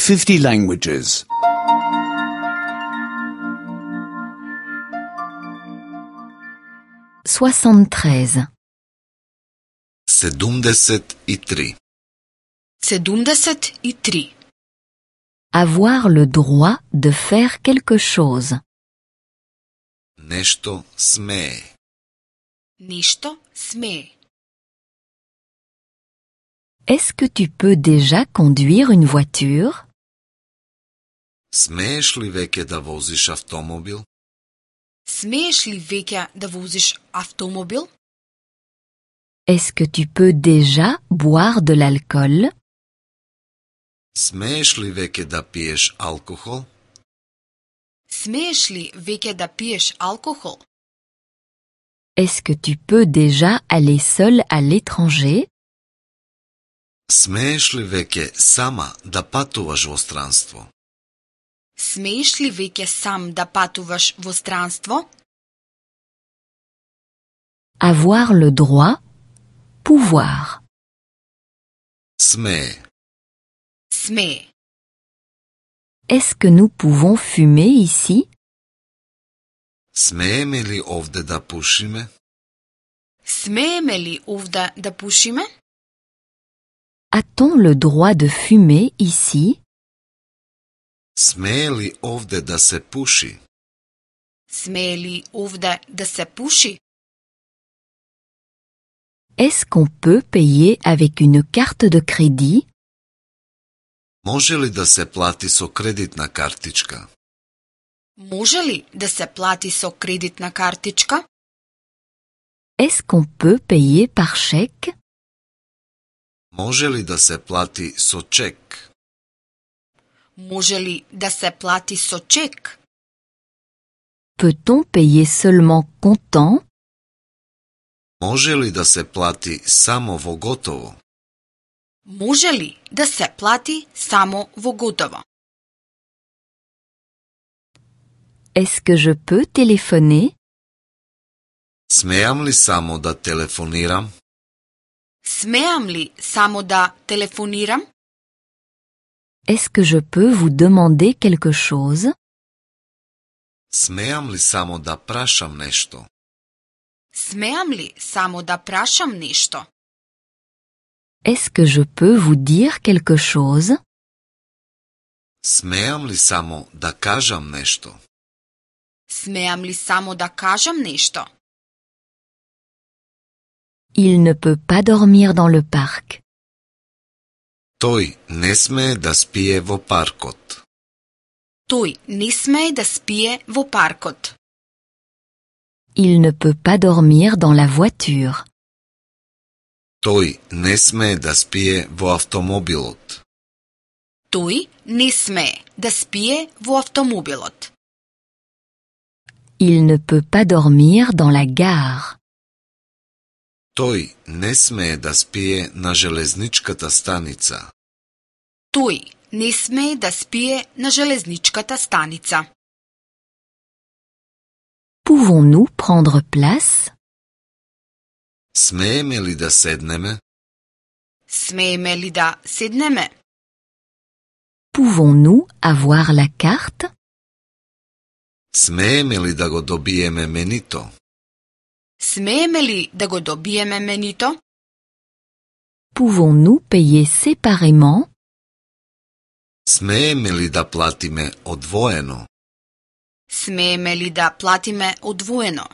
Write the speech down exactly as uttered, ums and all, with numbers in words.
fifty languages. soixante-treize. седумдесет и три. седумдесет и три. Avoir le droit de faire quelque chose. Нешто смее. Нешто смее. Est-ce que tu peux déjà conduire une voiture? Смееш ли веќе да возиш автомобил? Смееш ли веќе да возиш автомобил? Est-ce que tu peux déjà boire de l'alcool? Смееш ли веќе да пиеш алкохол? Смееш ли веќе да пиеш алкохол? Est-ce que tu peux déjà aller seul à l'étranger? Смееш ли веќе сама да патуваш во странство? Смееш ли веќе сам да патуваш во странство? Avoir le droit, pouvoir. Смее. Смее. Est-ce que nous pouvons fumer ici? Смееме ли овде да пушиме? Смееме ли овде да пушиме? A-t-on le droit de fumer ici? Смее ли овде да се пуши? Смее ли овде да се пуши? Est-ce qu'on peut payer avec une carte de crédit? Може ли да се плати со кредитна картичка? Може ли да се плати со кредитна картичка? Est-ce qu'on peut payer par chèque? Може ли да се плати со чек? Може ли да се плати со чек? Peut-on payer seulement comptant? Може ли да се плати само во готово? Може ли да се плати само во готово? Est-ce que je peux téléphoner? Смеам ли само да телефонирам? Смеам ли само да телефонирам? Est-ce que je peux vous demander quelque chose? Смеам ли само да прашам нешто? Смеам ли само да прашам нешто? Est-ce que je peux vous dire quelque chose? Смеам ли само да кажам нешто? Смеам ли само да кажам нешто? Il ne peut pas dormir dans le parc. Тој не смее да спие во паркот. Тој не смее да спие во паркот. Il ne peut pas dormir dans la voiture. Тој не смее да спие во автомобилот. Тој не смее да спие во автомобилот. Il ne peut pas dormir dans la gare. Тој не смее да спие на железничката станица. Тој не смее да спие на железничката станица. Pouvons-nous prendre place? Смееме ли да седнеме? Смееме ли да седнеме? Pouvons-nous avoir la carte? Смееме ли да го добиеме менито? Смееме ли да го добиеме менито? Pouvons-nous payer séparément? Смееме ли да платиме одвоено? Смееме ли да платиме одвоено?